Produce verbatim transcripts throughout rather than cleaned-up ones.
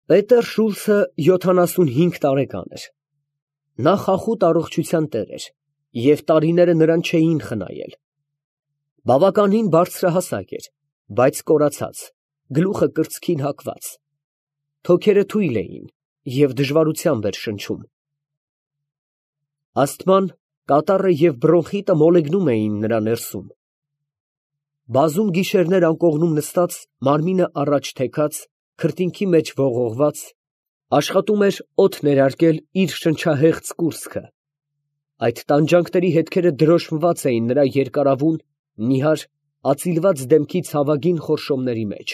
Պետեր Շուլցը յոթանասունհինգ տարեկան էր։ Նա խախուտ առողջության տեր էր, և տարիները նրան չէին խնայել։ Բավականին բարձրահասակ էր, բայց կորացած, գլուխը կրծքին հակված, թոքերը թույլ էին և դժվարությամբ էր շնչում։ Ասթման, կատառը և բրոնխիտը մոլեգնում էին նրա ներսում։ Բազում գիշերներ անկողնում նստած, մարմինը առաջ թեքած, քրտինքի մեջ ողողված, աշխատում էր օդ ներարկել իր շնչահեղձ կուրծքը. այդ տանջանքների հետքերը դրոշմված էին նրա երկարավուն, նիհար, ածիլված դեմքի ցավագին խորշոմների մեջ։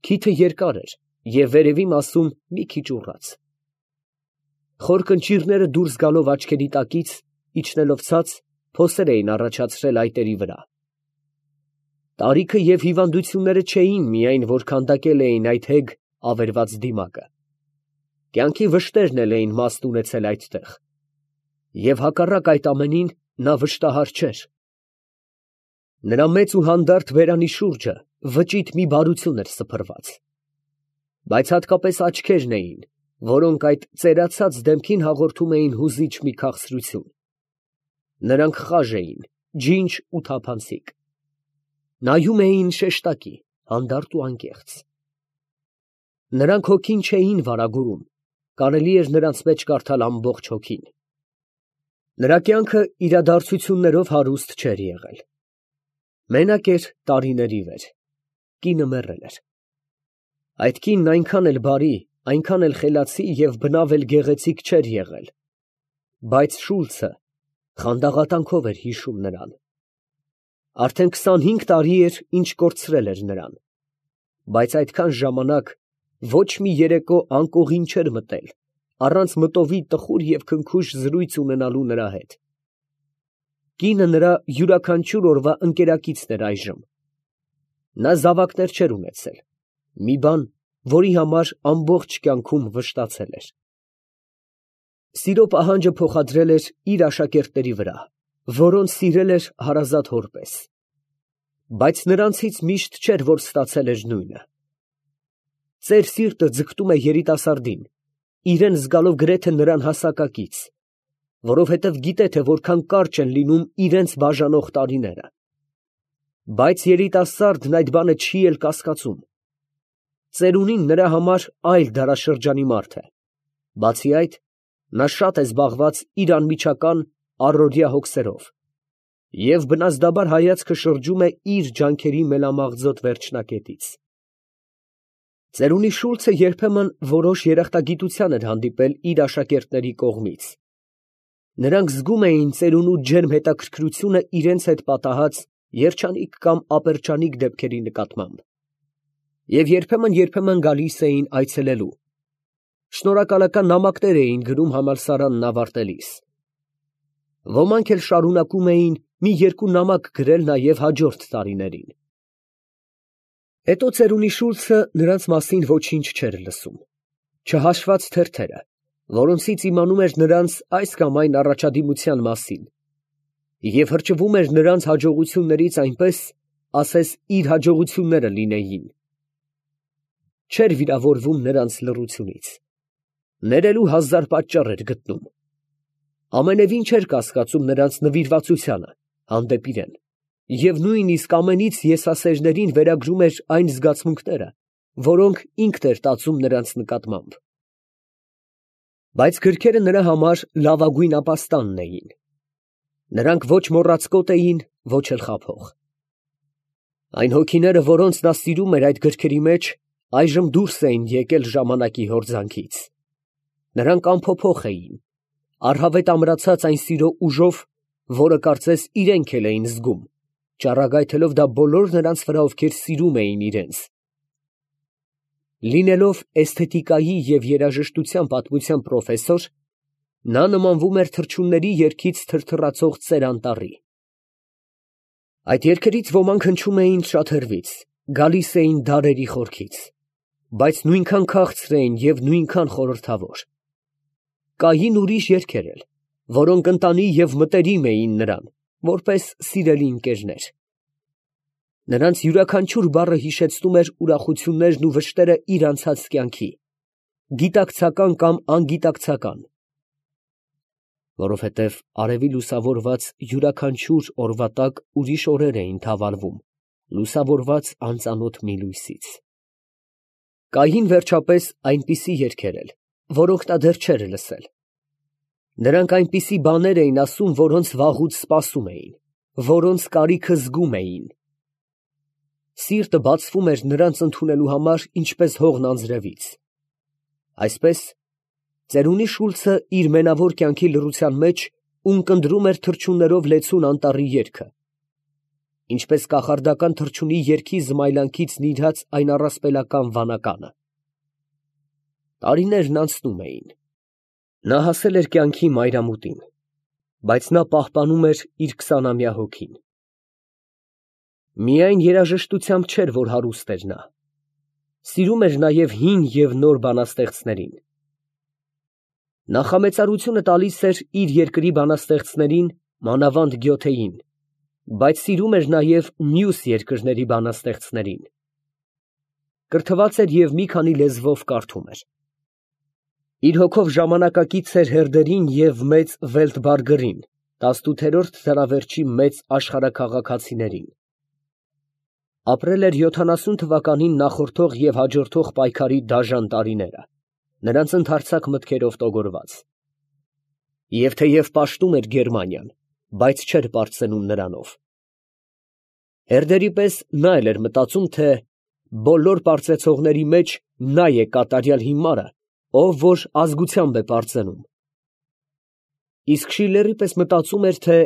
Քիթը երկար էր և վերևի մասում մի քիչ ուռած։ Խոր կնճիռները դուրս գալով աչքերի տակից, իջնելով ցած, փոսեր էին առաջացրել այտերի վրա։ Տարիքը և հիվանդությունները չէին միայն, որ քանդակել էին այդ հեգ, ավերված դիմակը, կյանքի վշտերն էլ էին մաստ ունեցել այդտեղ, և հակառակ այդ ամենին, նա վշտահար չէր։ Նրա մեծ ու հանդարտ բերանի շուրջը վճիտ մի բարություն էր սփռված, բայց հատկապես աչքերն էին, որոնք այդ ծերացած դեմքին հաղորդում էին հուզիչ մի քաղցրություն. նրանք խաժ էին, ջինջ ու թափանցիկ, նայում էին շեշտակի, հանդարտ ու անկեղծ։ Նրանք հոգին չէին վարագուրում, կարելի էր նրանց մեջ կարդալ ամբողջ հոգին։ Նրա կյանքը իրադարձություններով հարուստ չէր եղել։ Մենակ էր տարիների վեր, կինը մեռել էր։ Այդ կինն այնքան էլ բարի, այնքան էլ խելացի և բնավ էլ գեղեցիկ չէր եղել, բայց Շուլցը խանդաղատանքով էր հիշում նրան։ Արդեն քսանհինգ տարի էր, ինչ կորցրել էր նրան, բայց այդքան ժամանակ ոչ մի երեկո անկողին չէր մտել, առանց մտովի տխուր և քնքուշ զրույց ունենալու նրա հետ։ Կինը նրա յուրաքանչյուր օրվա ընկերակիցն էր այժմ։ Նա զավակներ չէր ունեցել, մի բան, որի համար ամբողջ կյանքում վշտացել էր։ Սիրո պահանջը փոխադրել էր իր աշակերտների վրա, որոնց սիրել էր հարազատ հոր պես, բայց նրանցից միշտ չէր, որ ստացել էր նույնը։ Ծեր սիրտը ձգտում է երիտասարդին, իրան զգալով գրեթե նրան հասակակից, որովհետև գիտե, թե որքան կարճ են լինում իրենց բաժանող տարիները։ Բայց երիտասարդն այդ բանը չի էլ կասկածում։ Ծերունին նրա համար այլ դարաշրջանի մարդ է, բացի այդ, նա շատ է զբաղված իր անմիջական, առօրյա հոգսերով, և բնազդաբար հայացքը շրջում է իր ջանքերի մելամաղձոտ վերջնակետից։ Ծերունի Շուլցը երբեմն որոշ երախտագիտության էր հանդիպել իր աշակերտների կողմից։ Նրանք զգում էին ծերունու ջերմ հետաքրքրությունը իրենց հետ պատահած երջանիկ կամ ապերճանիկ դեպքերի նկատմամբ, և երբեմն֊երբեմն գալիս էին այցելելու, շնորհակալական նամակներ էին գրում համալսարանն ավարտելիս։ Ոմանք էլ շարունակում էին մի երկու նամակ գրել նաև հաջորդ տարիներին։ Հետո ծերունի Շուլցը նրանց մասին ոչինչ չէր լսում, չհաշված թերթերը, որոնցից իմանում էր նրանց այս կամ այն առաջադիմության մասին, և հրճվում էր նրանց հաջողություններից այնպես, ասես իր հաջողությունները լինեին։ Չէր վիրավորվում նրանց լռությունից, ներելու հազար պատճառ էր գտնում, ամենևին չէր կասկածում նրանց նվիրվածությանը հանդեպ իրան, և նույնիսկ ամենից եսասերներին վերագրում էր այն զգացմունքները, որոնք ինքն էր տածում նրանց նկատմամբ։ Բայց գրքերը նրա համար լավագույն ապաստանն էին. նրանք ոչ մոռացկոտ էին, ոչ էլ խաբող։ Այն հոգիները, որոնց նա սիրում էր այդ գրքերի մեջ, այժմ դուրս էին եկել ժամանակի հորձանքից։ Նրանք անփոփոխ էին, առհավետ ամրացած այն սիրո ուժով, որը կարծես իրենք էլ էին զգում, ճառագայթելով դա բոլոր նրանց վրա, ովքեր սիրում էին իրենց։ Լինելով էսթետիկայի և երաժշտության պատմության պրոֆեսոր, նա նմանվում էր թռչունների երգից թրթռացող ծեր անտառի։ Այդ երգերից ոմանք հնչում էին շատ հեռվից, գալիս էին դարերի խորքից, բայց նույնքան քաղցր էին և նույնքան խորհրդավոր։ Կային ուրիշ երգեր էլ, որոնք ընտանի և մտերիմ էին նրան, որպես սիրելի ընկերներ։ Նրանց յուրաքանչյուր բառը հիշեցնում էր ուրախություններն ու վշտերը իր անցած կյանքի, գիտակցական կամ անգիտակցական, որովհետև արևի լուսավորված յուրաքանչյուր օրվա տակ ուրիշ օրեր էին թավալվում, լուսավորված անծանոթ մի լույսից։ Կային վերջապես այնպիսի երգեր էլ, որոնք նա դեռ չէր լսել։ Նրանք այնպիսի բաներ էին ասում, որոնց վաղուց սպասում էին, որոնց կարիքը զգում էին։ Սիրտը բացվում էր նրանց ընդունելու համար, ինչպես հողն անձրևից։ Այսպես, ծերունի Շուլցը իր մենավոր կյանքի լռության մեջ ունկնդրում էր թռչուններով լեցուն անտառի երգը, ինչպես կախարդական թռչունի երգի զմայլանքից նիրհած այն առասպելական վանականը։ Տարիներն անցնում էին։ Նա հասել էր կյանքի մայրամուտին, բայց նա պահպանում էր իր քսանամյա հոգին։ Միայն երաժշտությամբ չէր, որ հարուստ էր նա, սիրում էր նաև հին և նոր բանաստեղծներին։ Նախամեծարությունը տալիս էր իր երկրի բանաստեղծներին, մանավանդ Գյոթեին, բայց սիրում էր նաև մյուս երկրների բանաստեղծներին։ Կրթված էր և մի քանի լեզվով կարդում էր։ Իր հոգով ժամանակակից էր Հերդերին և մեծ Վելտբարգերին, տասնութերորդ դարավերջի մեծ աշխարհաքաղաքացիներին։ Ապրել էր յոթանասուն թվականին նախորդող և հաջորդող պայքարի դաժան տարիները, նրանց ընդարձակ մտքերով տոգորված։ Եվ թեև պաշտում էր Գերմանիան, բայց չէր պարծենում նրանով։ Հերդերի պես նա էլ էր մտածում, թե բոլոր պարծեցողների մեջ նա է կատարյալ հիմարը, ով որ ազգությամբ է պարծենում։ Իսկ Շիլլերի պես մտածում էր, թե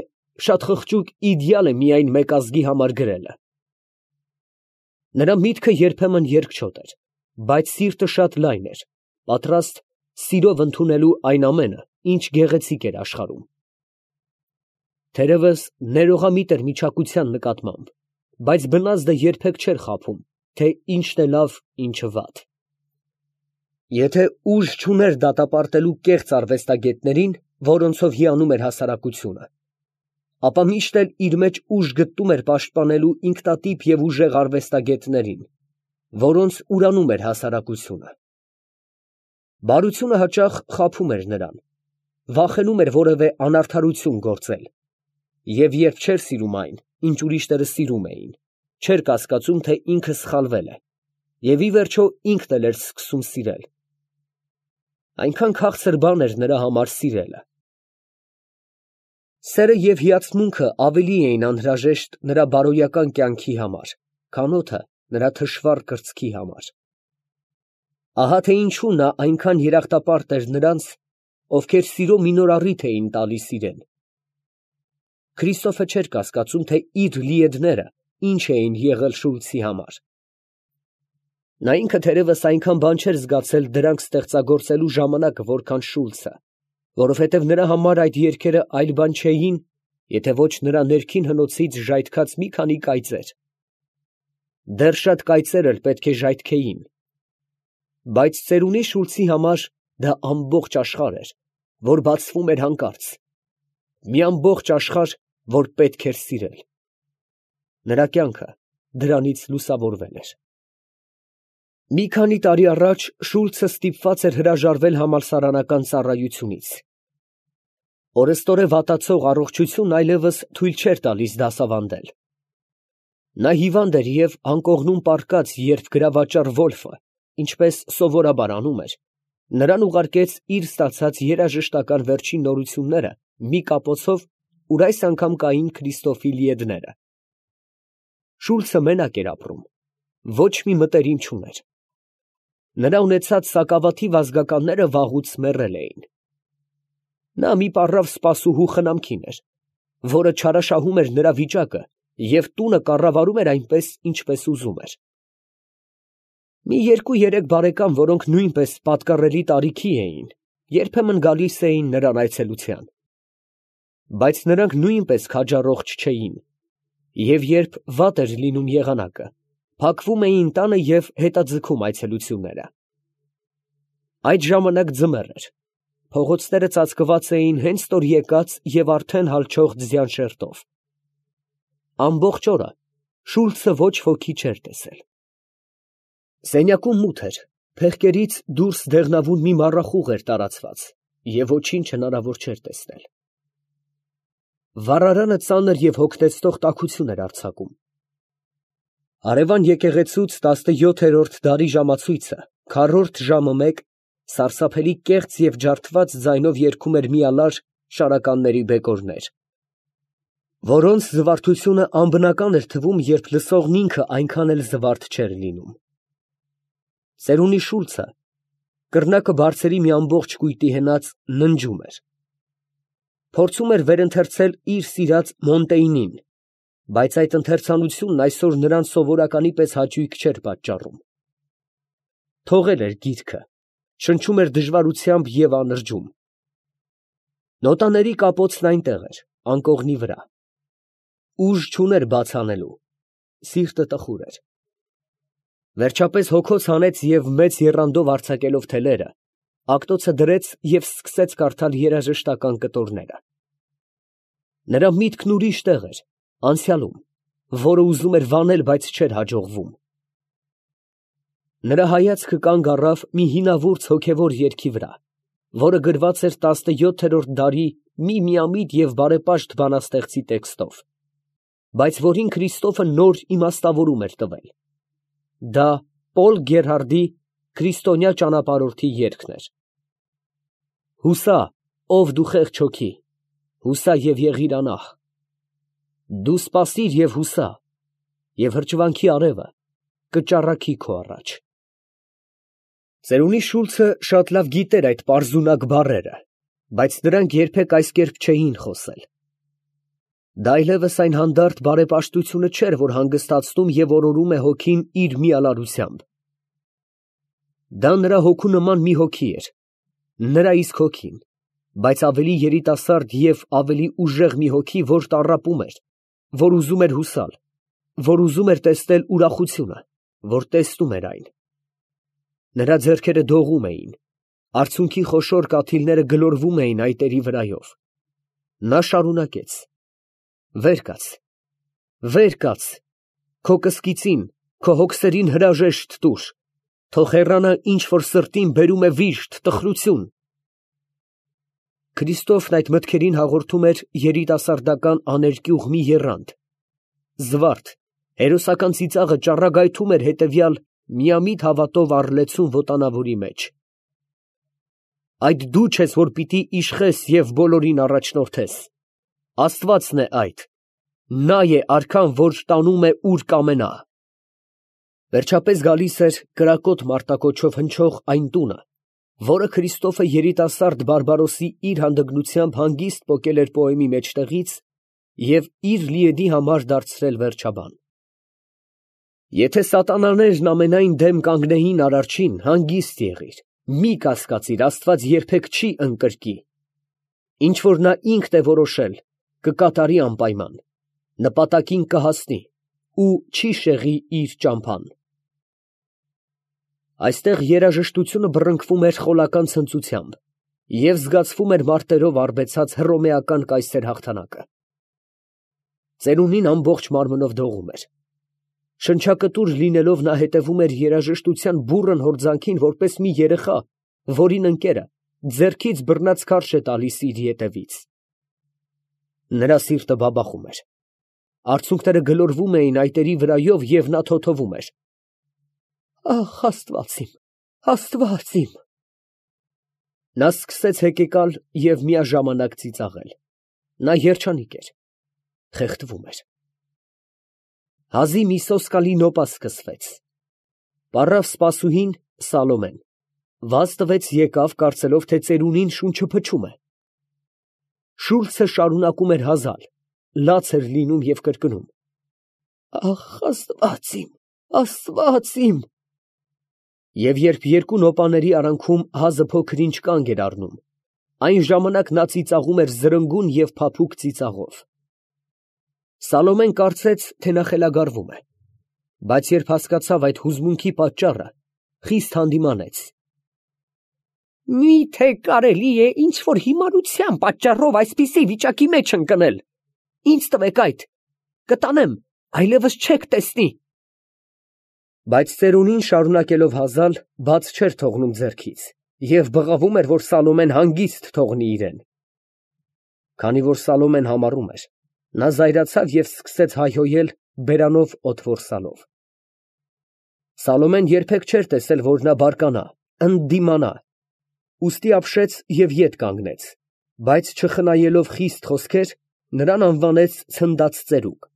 շատ խղճուկ իդեալ է միայն մեկ ազգի համար գրելը։ Նրա միտքը երբեմն երկչոտ էր, բայց սիրտը շատ լայն էր, պատրաստ սիրով ընդունելու այն ամենը, ինչ գեղեցիկ էր աշխարհում։ Թերևս ներողամիտ էր միջակության նկատմամբ, բայց բնազդը երբեք չէր խաբում, թե ինչն է լավ, ինչը վատ։ Եթե ուժ չուներ դատապարտելու կեղծ արվեստագետներին, որոնցով հիանում էր հասարակությունը, ապա միշտ էլ իր մեջ ուժ գտնում էր պաշտպանելու ինքնատիպ և ուժեղ արվեստագետներին, որոնց ուրանում էր հասարակությունը։ Բարությունը հաճախ խաբում էր նրան, վախենում էր որևէ անարդարություն գործել, և երբ չէր սիրում այն, ինչ ուրիշները սիրում էին, չէր կասկածում, թե ինքը սխալվել է, և ի վերջո ինքն էլ էր սկսում սիրել։ Այնքան քաղցր բան էր նրա համար սիրելը։ Սերը և հիացմունքը ավելի էին անհրաժեշտ նրա բարոյական կյանքի համար, քան օդը նրա թշվառ կրծքի համար։ Ահա թե ինչու նա այնքան երախտապարտ էր նրանց, ովքեր սիրո մի նոր առիթ էին տալիս իրան։ Քրիստոֆը չէր կասկածում, թե իր լիեդները ինչ էին եղել Շուլցի համար։ Նա ինքը թերևս այնքան բան չէր զգացել դրանք ստեղծագործելու ժամանակ, որքան Շուլցը, որովհետև նրա համար այդ երգերը այլ բան չէին, եթե ոչ նրա ներքին հնոցից ժայթքած մի քանի կայծեր։ Դեռ շատ կայծեր էլ պետք է ժայթքեին։ Բայց ծերունի Շուլցի համար դա ամբողջ աշխարհ էր, որ բացվում էր հանկարծ, մի ամբողջ աշխարհ, որ պետք էր սիրել։ Նրա կյանքը դրանից լուսավորվել էր։ Մի քանի տարի առաջ Շուլցը ստիպված էր հրաժարվել համալսարանական ծառայությունից։ Օրըստօրե վատացող առողջությունն այլևս թույլ չէր տալիս դասավանդել։ Նա հիվանդ էր և անկողնում պառկած, երբ գրավաճառ Վոլֆը, ինչպես սովորաբար անում էր, նրան ուղարկեց իր ստացած երաժշտական վերջին նորությունները մի կապոցով, ուր այս անգամ կային Քրիստոֆի լիեդները։ Շուլցը մենակ էր ապրում, ոչ մի մտերիմ չուներ։ Նրա ունեցած սակավաթիվ ազգականները վաղուց մեռել էին։ Նա մի պառավ սպասուհու խնամքին էր, որը չարաշահում էր նրա վիճակը և տունը կառավարում էր այնպես, ինչպես ուզում էր։ Մի երկու֊երեք բարեկամ, որոնք նույնպես պատկառելի տարիքի էին, երբեմն գալիս էին նրան այցելության։ Բայց նրանք նույնպես քաջառողջ չէին, և երբ վատ էր լինում եղանակը, փակվում էին տանը և հետաձգում այցելությունները։ Այդ ժամանակ ձմեռ էր, փողոցները ծածկված էին հենց նոր եկած և արդեն հալչող ձյան շերտով։ Ամբողջ օրը Շուլցը ոչ ոքի չէր տեսել։ Սենյակում մութ էր, փեղկերից դուրս դեղնավուն մի մառախուղ էր տարածված և ոչինչ հնարավոր չէր տեսնել։ Վառարանը ծանր և հոգնեցնող տաքություն էր արձակում։ Հարևան եկեղեցուց տասնյոթերորդ դարի ժամացույցը քառորդ ժամը մեկ սարսափելի կեղծ և ջարդված ձայնով երգում էր մի ալար շարականների բեկորներ, որոնց զվարթությունը անբնական էր թվում, երբ լսողն ինքը այնքան էլ զվարթ չէր լինում։ Ծերունի Շուլցը կռնակը բարձերի մի ամբողջ կույտի հենած ննջում էր։ Փորձում էր վերընթերցել իր սիրած Մոնտեյնին, բայց այդ ընթերցանությունն այսօր նրան սովորականի պես հաճույք չէր պատճառում։ Թողել էր գիրքը, շնչում էր դժվարությամբ և անրջում։ Նոտաների կապոցն այնտեղ էր, անկողնի վրա։ Ուժ չուներ բաց անելու, սիրտը տխուր էր։ Վերջապես հոգոց հանեց և մեծ եռանդով արձակելով թելերը, ակտոցը դրեց և սկսեց կարդալ երաժշտական կտորները։ Նրա միտքն ուրիշ տեղ էր, անցյալում, որը ուզում էր վանել, բայց չէր հաջողվում։ Նրա հայացքը կանգ առավ մի հինավուրց հոգևոր երգի վրա, որը գրված էր տասնյոթերորդ դարի մի միամիտ և բարեպաշտ բանաստեղծի տեքստով, բայց որին Քրիստոֆը նոր իմաստավորում էր տվել։ Դա Պոլ Գերհարդի «Քրիստոնյա ճանապարհորդի» երգն էր։ Հուսա, ով դու խեղճ հոգի, հուսա և եղիր անախ, դու սպասիր և հուսա, և հրճվանքի արևը կճառագի քո առաջ։ Ծերունի Շուլցը շատ լավ գիտեր այդ պարզունակ բառերը, բայց դրանք երբեք այս կերպ չէին խոսել։ Դա այլևս այն հանդարտ բարեպաշտությունը չէր, որ հանգստացնում և օրորում է հոգին իր միալարությամբ։ Դա նրա հոգու նման մի հոգի էր, նրա իսկ հոգին, բայց ավելի երիտասարդ և ավելի ուժեղ մի հոգի, որ տառապում էր, որ ուզում էր հուսալ, որ ուզում էր տեսնել ուրախությունը, որ տեսնում էր այն։ Նրա ձեռքերը դողում էին, արցունքի խոշոր կաթիլները գլորվում էին այտերի վրայով։ Նա շարունակեց. «Վեր կաց, վեր կաց, քո կսկիծին, քո հոգսերին հրաժեշտ տուր, թող հեռանա ինչ որ սրտին բերում է վիշտ, տխրություն»։ Քրիստոֆն այդ մտքերին հաղորդում էր երիտասարդական աներկյուղ մի եռանդ, զվարթ, հերոսական ծիծաղը ճառագայթում էր հետևյալ միամիտ հավատով առլեցուն վոտանավորի մեջ։ Այդ դու չես, որ պիտի իշխես և բոլորին առաջնորդես, Աստվածն է այդ, նա է արքան, որ տանում է ուր կամենա։ Վերջապես գալիս էր կրակոտ մարտակոչով հնչող այն տունը, որը Քրիստոֆը երիտասարդ Բարբարոսի իր հանդգնությամբ հանգիստ պոկել էր պոեմի մեջտեղից և իր լիեդի համար դարձրել վերջաբան։ Եթե սատանաներն ամենայն դեմ կանգնեին Արարչին, հանգիստ եղիր, մի կասկածիր, Աստված երբեք չի ընկրկի։ Ինչ որ նա ինքն է որոշել, կկատարի անպայման, նպատակին կհասնի ու չի շեղի իր ճամփան։ Այստեղ երաժշտությունը բռնկվում էր խոլական ցնծությամբ և զգացվում էր մարտերով արբեցած հռոմեական կայսեր հաղթանակը։ Ծերունին ամբողջ մարմնով դողում էր։ Շնչակտուր լինելով նա հետևում էր երաժշտության բուռն հորձանքին, որպես մի երեխա, որին ընկերը ձեռքից բռնած քարշ է տալիս իր ետևից։ Նրա սիրտը բաբախում էր։ Արցունքները գլորվում էին այտերի վրայով և նա թոթվում էր. «Ախ, Աստված իմ, Աստված իմ»։ Նա սկսեց հեկեկալ և միաժամանակ ծիծաղել։ Նա երջանիկ էր, խեղդվում էր։ Հազիվ մի սոսկալի նոպա սկսվեց։ Պառավ սպասուհին Սալոմեն, վազ տվեց, եկավ, կարծելով, թե ծերունին շունչը փչում է։ Շուլցը շարունակում էր հազալ, լաց էր լինում և կրկնում. «Ախ, Աստված իմ, Աստված իմ»։ Եվ երբ երկու նոպաների արանքում հազը փոքր֊ինչ կանգ էր առնում, այն ժամանակ նա ծիծաղում էր զրնգուն և փափուկ ծիծաղով։ Սալոմեն կարծեց, թե նա խելագարվում է, բայց երբ հասկացավ այդ հուզմունքի պատճառը, խիստ հանդիմանեց։ «Մի՞թե կարելի է ինչ որ հիմարության պատճառով այսպիսի վիճակի մեջ ընկնել։ Ինձ տվեք այդ, կտանեմ, այլևս չեք տեսնի։ Բայց ծերունին շարունակելով հազալ, բաց չէր թողնում ձեռքից և բղավում էր, որ Սալոմեն հանգիստ թողնի իրեն։ Քանի որ Սալոմեն համառում էր, նա զայրացավ և սկսեց հայհոյել, բերանով օդ որսալով։ Սալոմեն երբեք չէր տեսել, որ նա բարկանա, ընդդիմանա, ուստի ապշեց և ետ կանգնեց, բայց չխնայելով խիստ խոսքեր, նրան անվանեց ցնդած ծերուկ,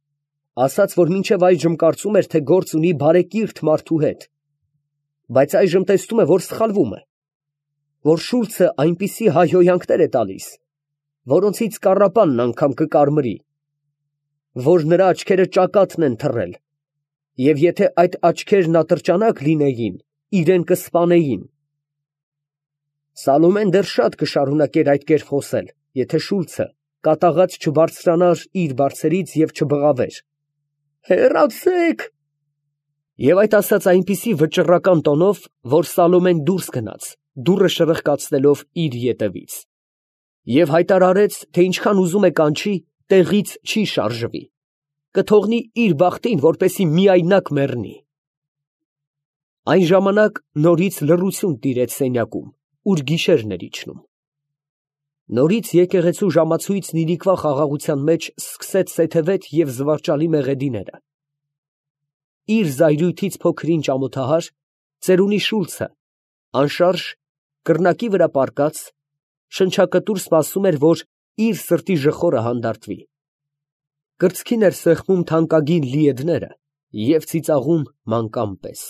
ասաց, որ մինչև այժմ կարծում էր, թե գործ ունի բարեկիրթ մարդու հետ, բայց այժմ տեսնում է, որ սխալվում է, որ Շուլցը այնպիսի հայհոյանքներ է տալիս, որոնցից կառապանն անգամ կկարմրի, որ նրա աչքերը ճակատն են թռել, և եթե այդ աչքերն ատրճանակ լինեին, իրան կսպանեին։ Սալոմեն դեռ շատ կշարունակեր այդ կերպ խոսել, եթե Շուլցը կատաղած չբարձրանար իր բարձերից և չբղավեր. «Հեռացե՛ք»։ Եվ այդ ասաց այնպիսի վճռական տոնով, որ Սալոմեն դուրս գնաց, դուռը շրխկացնելով իր ետևից, և հայտարարեց, թե ինչքան ուզում է կանչի, տեղից չի շարժվի, կթողնի իր բախտին, որպեսզի միայնակ մեռնի։ Այն ժամանակ նորից լռություն տիրեց սենյակում, ուր գիշերն էր իջնում։ Նորից եկեղեցու ժամացույցն իրիկվա խաղաղության մեջ սկսեց սեթևետ և զվարճալի մեղեդիները։ Իր զայրույթից փոքր-ինչ ամոթահար, ծերունի Շուլցը, անշարժ, կռնակի վրա պառկած, շնչակտուր սպասում էր, որ իր սրտի ժխորը հանդարտվի։ Կրծքին էր սեղմում թանկագին լիեդները և ծիծաղում մանկան պես։